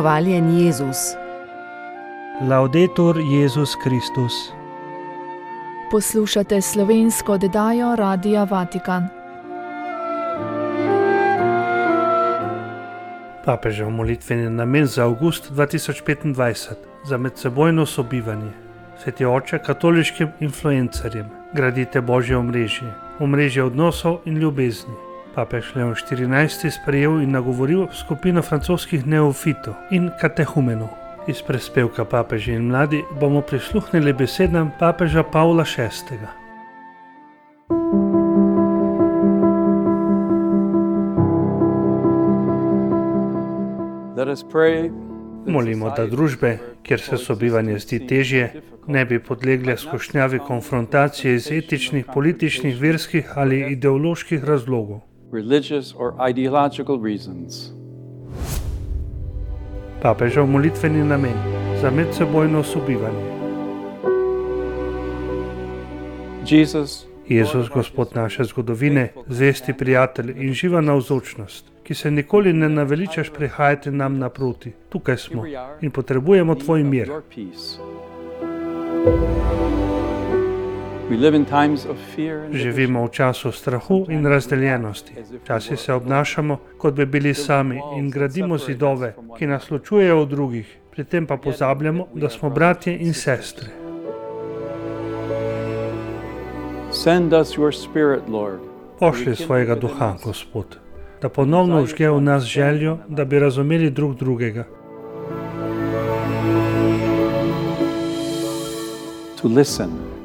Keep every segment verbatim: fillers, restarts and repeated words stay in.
Hvaljen Jezus. Laudetur Jezus Kristus. Poslušate slovensko oddajo Radia Vatikan. Papežev molitveni namen za avgust dva tisoč petindvajset za medsebojno sobivanje. Sveti oče, katoliškim influencerjem gradite Božje omrežje, omrežje odnosov in ljubezni. Papež Leon štirinajsti sprejel in nagovoril skupino francoskih neofitov in katehumenov. Iz prispevka Papeži in mladi bomo prisluhnili besedam papeža Pavla šestega. Molimo, da družbe, kjer se sobivanje zdi težje, ne bi podlegle skušnjavi konfrontacije iz etičnih, političnih, verskih ali ideoloških razlogov. Papežev molitveni namen za medsebojno sobivanje. Jezus, Gospod naše zgodovine, zvesti prijatelj in živa navzočnost, ki se nikoli ne naveličaš prihajati nam naproti. Tukaj smo in potrebujemo tvoj mir. Živimo v času strahu in razdeljenosti. Včasih se obnašamo, kot bi bili sami in gradimo zidove, ki nas ločujejo od drugih, pri tem pa pozabljamo, da smo bratje in sestre. Pošlji svojega duha, Gospod, da ponovno vžge v nas željo, da bi razumeli drug drugega.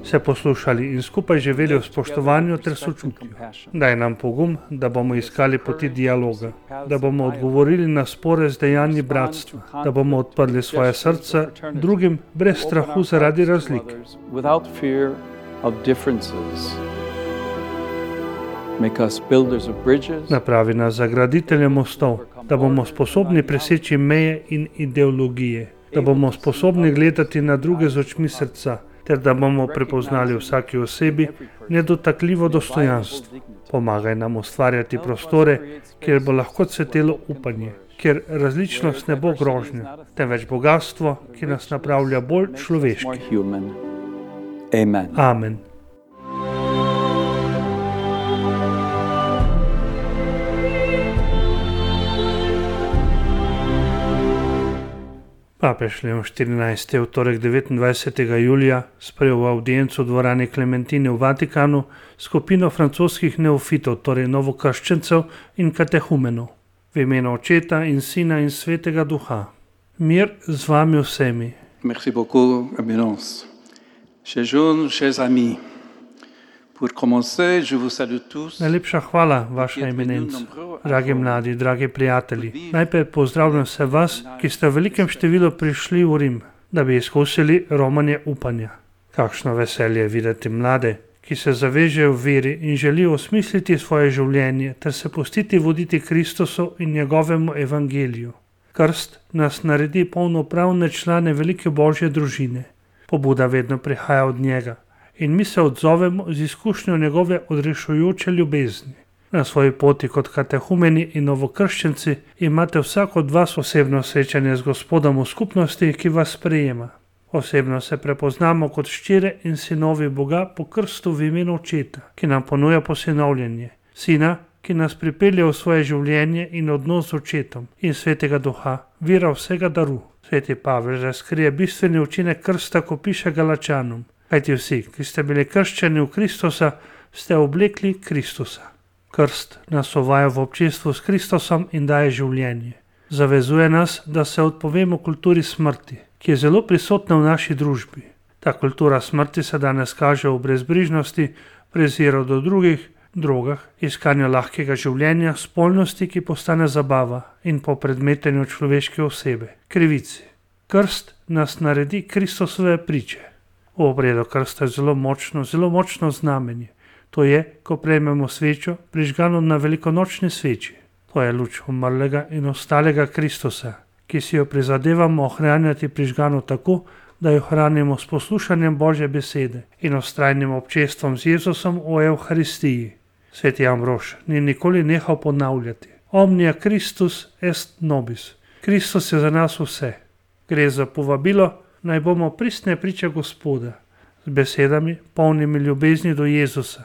Se poslušali in skupaj živeli v spoštovanju ter sočutju. Daj nam pogum, da bomo iskali poti dialoga, da bomo odgovorili na spore z dejanji bratstva, da bomo odprli svoje srca drugim brez strahu zaradi razlik. Napravi nas za graditelje mostov, da bomo sposobni preseči meje in ideologije, da bomo sposobni gledati na druge z očmi srca, ter da bomo prepoznali vsaki osebi nedotakljivo dostojanstvo. Pomagaj nam ustvarjati prostore, kjer bo lahko cvetelo upanje, kjer različnost ne bo grožnja, temveč bogatstvo, ki nas napravlja bolj človeški. Amen. Amen. Papež Leon štirinajsti je v torek devetindvajsetega julija sprejel v avdiencu v dvorani Klementine v Vatikanu skupino francoskih neofitov, torej novokrščencev in katehumenov, v imenu Očeta in Sina in Svetega Duha. Mir z vami vsemi. Merci beaucoup, Eminence. Chers jeunes, chers amis. Pour commencer, je vous salue tous. Najlepša hvala, vaša eminenca. Dragi mladi, dragi prijatelji, najprej pozdravljam vse vas, ki ste v velikem številu prišli v Rim, da bi izkusili romanje upanja. Kakšno veselje videti mlade, ki se zavežejo v veri in želijo osmisliti svoje življenje ter se pustiti voditi Kristusu in njegovemu evangeliju. Krst nas naredi polnopravne člane velike Božje družine. Pobuda vedno prihaja od njega. In mi se odzovemo z izkušnjo njegove odrešujoče ljubezni. Na svoji poti kot katehumeni in novokrščenci imate vsak od vas osebno srečanje z Gospodom v skupnosti, ki vas sprejema. Osebno se prepoznamo kot ščire in sinovi Boga po krstu v imenu Očeta, ki nam ponuja posinovljenje, Sina, ki nas pripelje v svoje življenje in odnos z Očetom, in Svetega Duha, vira vsega daru. Sveti Pavel razkrije bistveni učinek krsta, ko piše Galačanom. Kajti vsi, ki ste bili krščeni v Kristusa, ste oblekli Kristusa. Krst nas uvaja v občinstvu s Kristusom in daje življenje. Zavezuje nas, da se odpovemo kulturi smrti, ki je zelo prisotna v naši družbi. Ta kultura smrti se danes kaže v brezbrižnosti, preziru do drugih, drogah, iskanju lahkega življenja, spolnosti, ki postane zabava, in po predmetenju človeške osebe, krivici. Krst nas naredi Kristusove priče. V obredu krsta je zelo močno, zelo močno znamenje. To je, ko prejmemo svečo, prižgano na velikonočni sveči. To je luč umrlega in ostalega Kristusa, ki si jo prizadevamo ohranjati prižgano tako, da jo hranimo s poslušanjem Božje besede in vztrajnim občestvom z Jezusom v Evharistiji. Sveti Ambrož ni nikoli nehal ponavljati: Omnia Christus est nobis. Kristus je za nas vse. Gre za povabilo, naj bomo pristne priče Gospoda. Z besedami, polnimi ljubezni do Jezusa,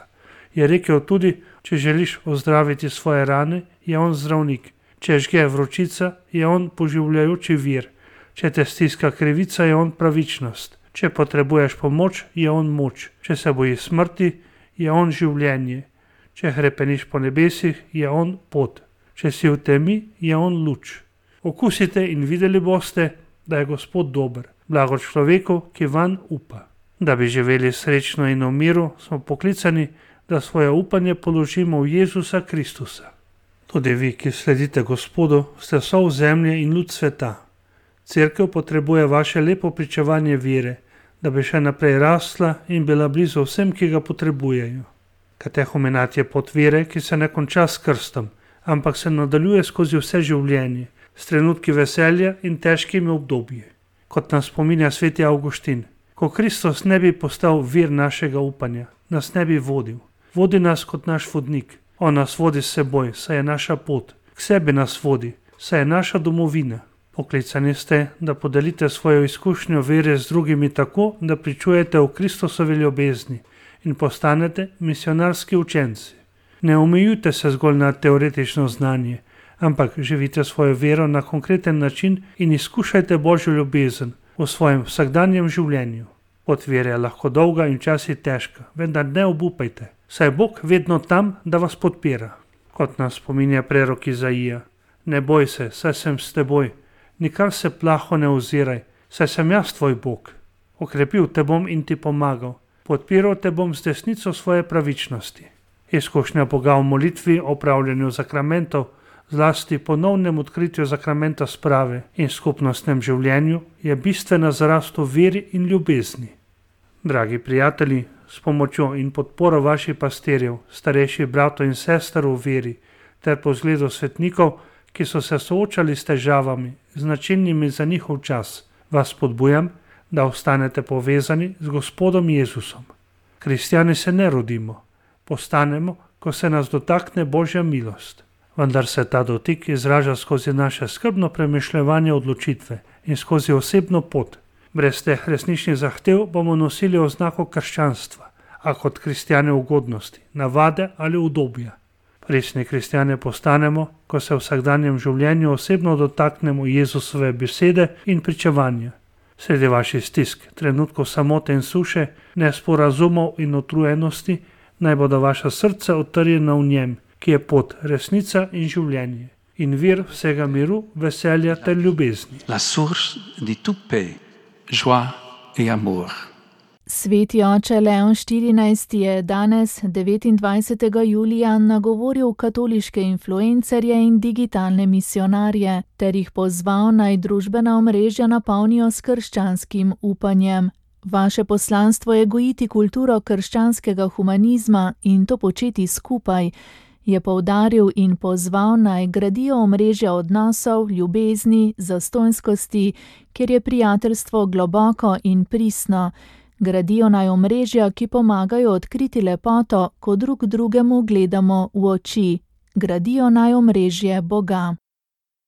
je rekel tudi, če želiš ozdraviti svoje rane, je on zdravnik. Če žge vročica, je on poživljajoči vir. Če te stiska krivica, je on pravičnost. Če potrebuješ pomoč, je on moč. Če se bojiš smrti, je on življenje. Če hrepeniš po nebesih, je on pot. Če si v temi, je on luč. Okusite in videli boste, da je Gospod dober, blago človeku, ki vanj upa. Da bi živeli srečno in v miru, smo poklicani, da svoje upanje položimo v Jezusa Kristusa. Tudi vi, ki sledite Gospodu, ste sol zemlje in luč sveta. Cerkev potrebuje vaše lepo pričevanje vere, da bi še naprej rasla in bila blizu vsem, ki ga potrebujejo. Katehumenat je pot vere, ki se ne konča s krstom, ampak se nadaljuje skozi vse življenje, s trenutki veselja in težkimi obdobji. Kot nas spominja sveti Avguštin, ko Kristus ne bi postal vir našega upanja, nas ne bi vodil. Vodi nas kot naš vodnik. On nas vodi s seboj, saj je naša pot. K sebi nas vodi, saj je naša domovina. Poklicani ste, da podelite svojo izkušnjo vere z drugimi tako, da pričujete v Kristusovi ljubezni in postanete misionarski učenci. Ne omejujte se zgolj na teoretično znanje, ampak živite svojo vero na konkreten način in izkušajte Božjo ljubezen v svojem vsakdanjem življenju. Pot vere je lahko dolga in včasih težka, vendar ne obupajte, saj je Bog vedno tam, da vas podpira. Kot nas spominja prerok Izaija, ne boj se, saj sem s teboj, nikar se plaho ne oziraj, saj sem jaz tvoj Bog. Okrepil te bom in ti pomagal, podpiral te bom z desnico svoje pravičnosti. Izkušnja Boga v molitvi, opravljanju zakramentov, zlasti ponovnem odkritju zakramenta sprave in skupnostnem življenju je bistvena za rast v veri in ljubezni. Dragi prijatelji, s pomočjo in podporo vaših pastirjev, starejših bratov in sester v veri, ter po zgledu svetnikov, ki so se soočali s težavami, značilnimi za njihov čas, vas spodbujam, da ostanete povezani z Gospodom Jezusom. Kristjani se ne rodimo, postanemo, ko se nas dotakne Božja milost. Vendar se ta dotik izraža skozi naše skrbno premišljevanje odločitve in skozi osebno pot. Brez teh resničnih zahtev bomo nosili oznako krščanstva, a kot kristjane ugodnosti, navade ali udobja. Resni kristjane postanemo, ko se v vsakdanjem življenju osebno dotaknemo Jezusove besede in pričevanja. Sredi vaših stisk, trenutkov samote in suše, nesporazumov in utrujenosti, naj bodo vaša srca utrjena v njem, ki je pot, resnica in življenje, in vir vsega miru, veselja ter ljubezni. La source de toute paix, joie et amour. Sveti oče Leon štirinajsti je danes, devetindvajsetega julija, nagovoril katoliške influencerje in digitalne misionarje ter jih pozval, naj družbena omrežja napolnijo s krščanskim upanjem. Vaše poslanstvo je gojiti kulturo krščanskega humanizma in to početi skupaj, je poudaril in pozval, naj gradijo omrežja odnosov, ljubezni, zastonjskosti, kjer je prijateljstvo globoko in pristno. Gradijo naj omrežja, ki pomagajo odkriti lepoto, ko drug drugemu gledamo v oči. Gradijo naj omrežje Boga.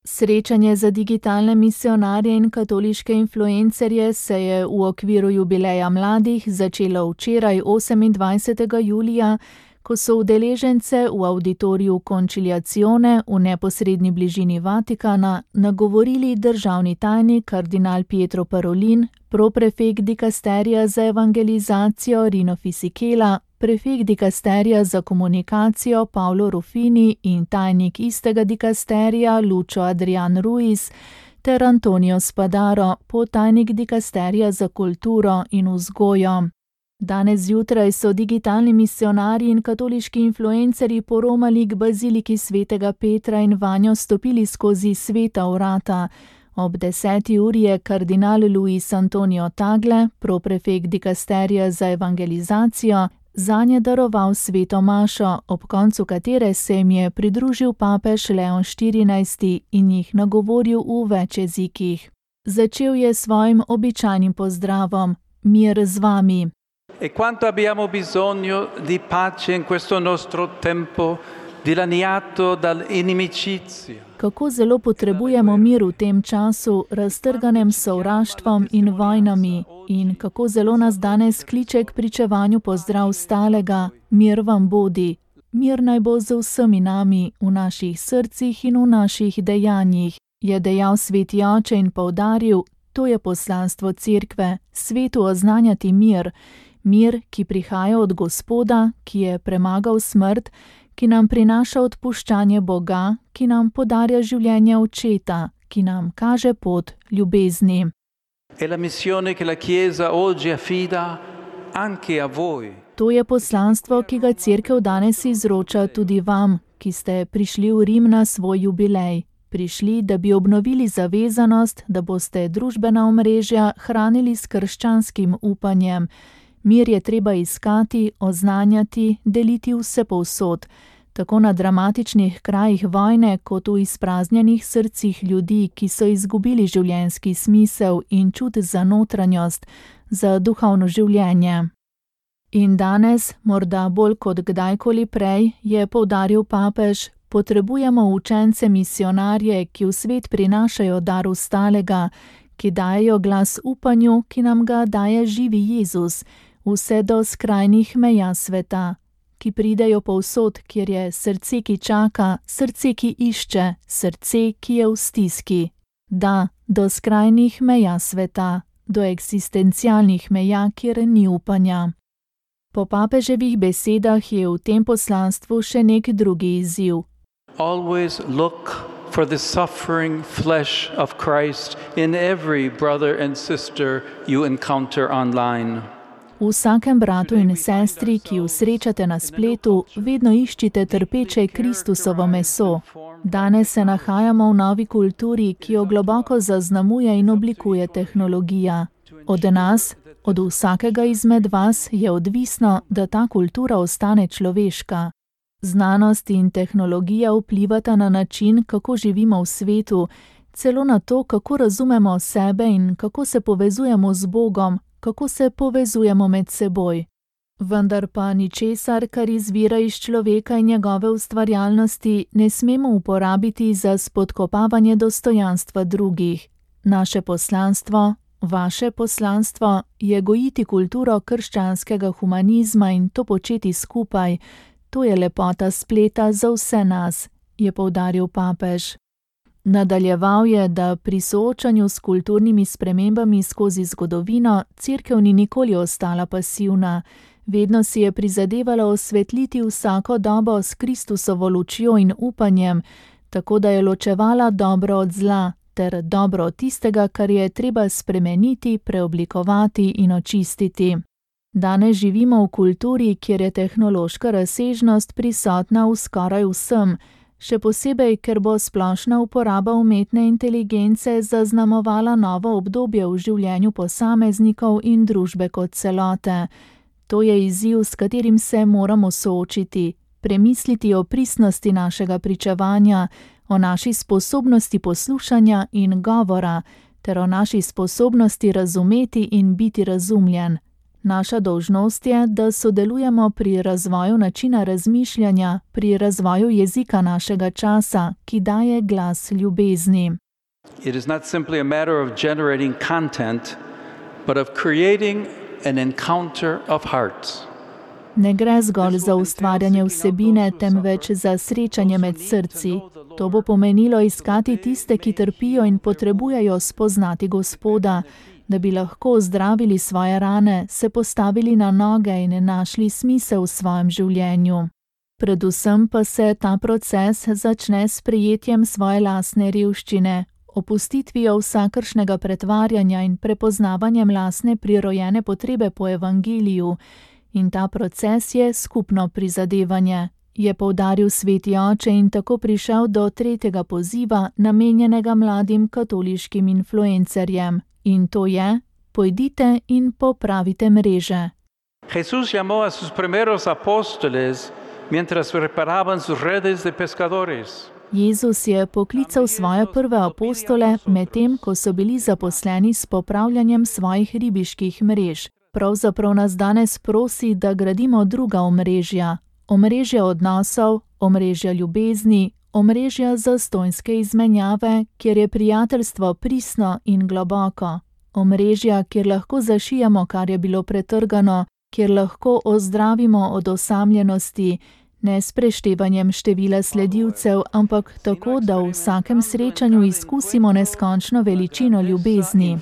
Srečanje za digitalne misionarje in katoliške influencerje se je v okviru jubileja mladih začelo včeraj, osemindvajsetega julija, ko so udeležence v auditoriju Conciliazione v neposredni bližini Vatikana nagovorili državni tajnik kardinal Pietro Parolin, proprefekt dikasterija za evangelizacijo Rino Fisichella, prefekt dikasterija za komunikacijo Paolo Ruffini in tajnik istega dikasterija Lucio Adrian Ruiz ter Antonio Spadaro, podtajnik dikasterija za kulturo in vzgojo. Danes zjutraj so digitalni misionarji in katoliški influencerji poromali k baziliki svetega Petra in vanjo stopili skozi sveta vrata. Ob deseti uri je kardinal Luis Antonio Tagle, proprefekt dikasterija za evangelizacijo, zanje daroval sveto mašo, ob koncu katere se jim je pridružil papež Leon štirinajsti in jih nagovoril v več jezikih. Začel je svojim običajnim pozdravom: mir z vami. E quanto abbiamo bisogno di pace in questo nostro tempo dilaniato dall'inimicizia. Kako zelo potrebujemo mir v tem času, raztrganem s sovraštvom in vojnami, in kako zelo nas danes kliče k pričevanju pozdrav stalega, mir vam bodi. Mir naj bo z vsemi nami, v naših srcih in v naših dejanjih, je dejal sveti oče in poudaril, to je poslanstvo cerkve, svetu oznanjati mir, mir, ki prihaja od Gospoda, ki je premagal smrt, ki nam prinaša odpuščanje Boga, ki nam podarja življenje Očeta, ki nam kaže pot ljubezni. È la missione che la Chiesa oggi affida anche a voi. To je poslanstvo, ki ga cerkev danes izroča tudi vam, ki ste prišli v Rim na svoj jubilej. Prišli, da bi obnovili zavezanost, da boste družbena omrežja hranili s krščanskim upanjem. Mir je treba iskati, oznanjati, deliti vsepovsod, tako na dramatičnih krajih vojne, kot v izpraznjenih srcih ljudi, ki so izgubili življenjski smisel in čut za notranjost, za duhovno življenje. In danes, morda bolj kot kdajkoli prej, je poudaril papež, potrebujemo učence misionarje, ki v svet prinašajo dar ustalega, ki dajejo glas upanju, ki nam ga daje živi Jezus, vse do skrajnih meja sveta, ki pridejo povsod, kjer je srce, ki čaka, srce, ki išče, srce, ki je v stiski. Da, do skrajnih meja sveta, do eksistencialnih meja, kjer ni upanja. Po papeževih besedah je v tem poslanstvu še nek drugi izziv. Always look for the suffering flesh of Christ in every brother and sister you encounter online. V vsakem bratu in sestri, ki ju srečate na spletu, vedno iščite trpeče Kristusovo meso. Danes se nahajamo v novi kulturi, ki jo globoko zaznamuje in oblikuje tehnologija. Od nas, od vsakega izmed vas je odvisno, da ta kultura ostane človeška. Znanost in tehnologija vplivata na način, kako živimo v svetu, celo na to, kako razumemo sebe in kako se povezujemo z Bogom, kako se povezujemo med seboj. Vendar pa ničesar, kar izvira iz človeka in njegove ustvarjalnosti, ne smemo uporabiti za spodkopavanje dostojanstva drugih. Naše poslanstvo, vaše poslanstvo je gojiti kulturo krščanskega humanizma in to početi skupaj. To je lepota spleta za vse nas, je poudaril papež. Nadaljeval je, da pri soočanju s kulturnimi spremembami skozi zgodovino cerkev ni nikoli ostala pasivna. Vedno si je prizadevala osvetliti vsako dobo s Kristusovo lučjo in upanjem, tako da je ločevala dobro od zla, ter dobro od tistega, kar je treba spremeniti, preoblikovati in očistiti. Danes živimo v kulturi, kjer je tehnološka razsežnost prisotna v skoraj vsem, še posebej, ker bo splošna uporaba umetne inteligence zaznamovala novo obdobje v življenju posameznikov in družbe kot celote. To je izziv, s katerim se moramo soočiti, premisliti o pristnosti našega pričevanja, o naši sposobnosti poslušanja in govora, ter o naši sposobnosti razumeti in biti razumljen. Naša dolžnost je, da sodelujemo pri razvoju načina razmišljanja, pri razvoju jezika našega časa, ki daje glas ljubezni. It is not simply a matter of generating content, but of creating an encounter of hearts. Ne gre zgolj za ustvarjanje vsebine, temveč za srečanje med srci. To bo pomenilo iskati tiste, ki trpijo in potrebujejo spoznati Gospoda, da bi lahko zdravili svoje rane, se postavili na noge in našli smisel v svojem življenju. Predvsem pa se ta proces začne s prijetjem svoje lastne revščine, opustitvijo vsakršnega pretvarjanja in prepoznavanjem lastne prirojene potrebe po evangeliju. In ta proces je skupno prizadevanje, je poudaril sveti oče in tako prišel do tretjega poziva, namenjenega mladim katoliškim influencerjem. In to je, pojdite in popravite mreže. Jesús llamó a sus primeros apóstoles mientras preparaban sus redes de pescadores. Jezus je poklical svoje prve apostole, medtem ko so bili zaposleni s popravljanjem svojih ribiških mrež. Pravzaprav nas danes prosi, da gradimo druga omrežja, omrežja odnosov, omrežja ljubezni, omrežja zastonjske izmenjave, kjer je prijateljstvo pristno in globoko, omrežja, kjer lahko zašijamo, kar je bilo pretrgano, kjer lahko ozdravimo od osamljenosti, ne s preštevanjem števila sledilcev, ampak tako, da v vsakem srečanju izkusimo neskončno veličino ljubezni.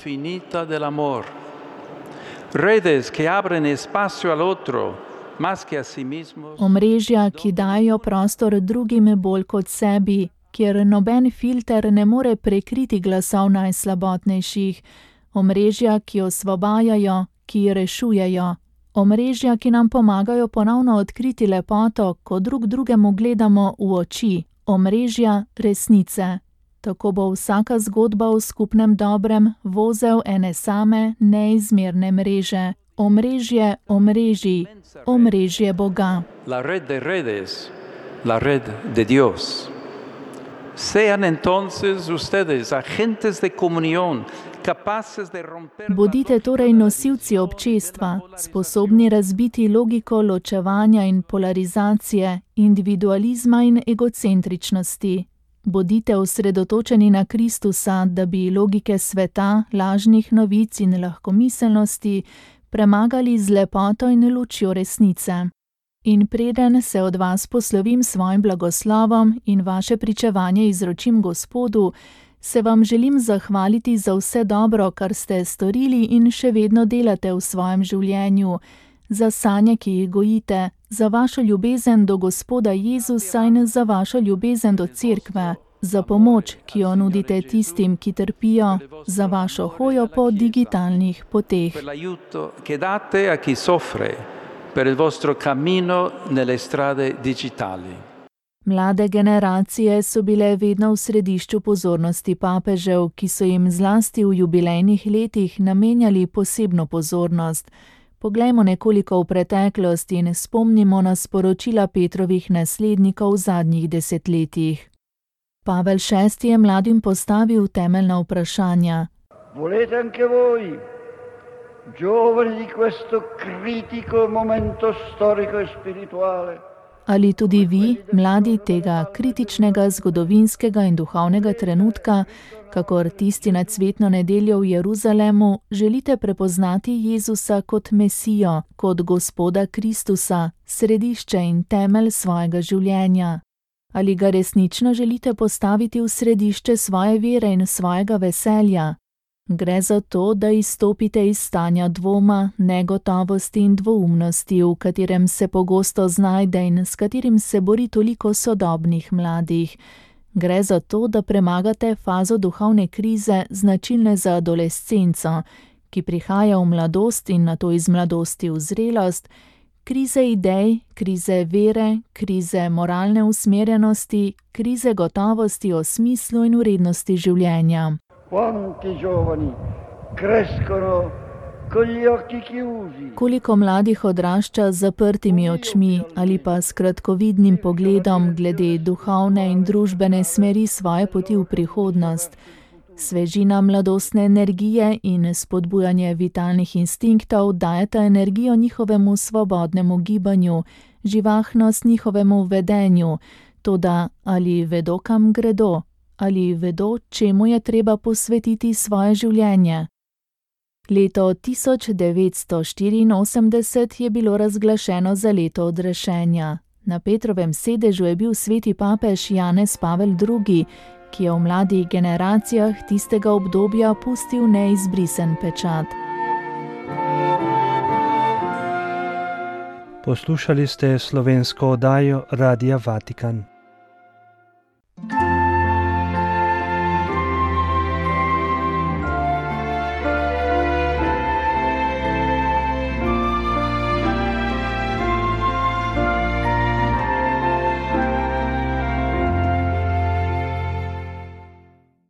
Omrežja, ki dajo prostor drugim bolj kot sebi, kjer noben filter ne more prekriti glasov najslabotnejših, omrežja, ki osvobajajo, ki rešujejo, omrežja, ki nam pomagajo ponovno odkriti lepoto, ko drug drugemu gledamo v oči, omrežja resnice. Tako bo vsaka zgodba v skupnem dobrem vozel ene same neizmerne mreže. Omrežje omrežij, omrežje Boga. La red de redes, la red de Dios. Sean entonces ustedes agentes de comunión, capaces de romper. Bodite torej nosilci občestva, sposobni razbiti logiko ločevanja in polarizacije, individualizma in egocentričnosti. Bodite osredotočeni na Kristusa, da bi logike sveta, lažnih novic in lahkomiselnosti premagali z lepoto in lučjo resnice. In preden se od vas poslovim svojim blagoslovom in vaše pričevanje izročim Gospodu, se vam želim zahvaliti za vse dobro, kar ste storili in še vedno delate v svojem življenju, za sanje, ki jih gojite, za vašo ljubezen do Gospoda Jezusa in za vašo ljubezen do Cerkve, za pomoč, ki jo nudite tistim, ki trpijo, za vašo hojo po digitalnih poteh. Per il vostro cammino nelle strade digitali. Mlade generacije so bile vedno v središču pozornosti papežev, ki so jim zlasti v jubilejnih letih namenjali posebno pozornost. Poglejmo nekoliko v preteklost in spomnimo na sporočila Petrovih naslednikov v zadnjih desetletjih. Pavel šesti je mladim postavil temeljna vprašanja. Volete anche voi, giovani di questo critico momento storico e spirituale? Ali tudi vi, mladi tega kritičnega zgodovinskega in duhovnega trenutka, kakor tisti na cvetno nedeljo v Jeruzalemu, želite prepoznati Jezusa kot Mesijo, kot Gospoda Kristusa, središče in temelj svojega življenja? Ali ga resnično želite postaviti v središče svoje vere in svojega veselja? Gre za to, da izstopite iz stanja dvoma, negotovosti in dvoumnosti, v katerem se pogosto znajde in s katerim se bori toliko sodobnih mladih. Gre za to, da premagate fazo duhovne krize, značilne za adolescenco, ki prihaja v mladost in nato iz mladosti v zrelost, krize idej, krize vere, krize moralne usmerjenosti, krize gotovosti o smislu in vrednosti življenja. Quanti giovani crescono con gli occhi chiusi. Koliko mladih odrašča z zaprtimi očmi ali pa s kratkovidnim pogledom glede duhovne in družbene smeri svoje poti v prihodnost. Svežina mladostne energije in spodbujanje vitalnih instinktov dajeta energijo njihovemu svobodnemu gibanju, živahnost njihovemu vedenju, toda ali vedo, kam gredo? Ali vedo, čemu je treba posvetiti svoje življenje? Leto tisoč devetsto štiriinosemdeset je bilo razglašeno za leto odrešenja. Na Petrovem sedežu je bil sveti papež Janez Pavel drugi, ki je v mladih generacijah tistega obdobja pustil neizbrisen pečat. Poslušali ste slovensko oddajo Radia Vatikan.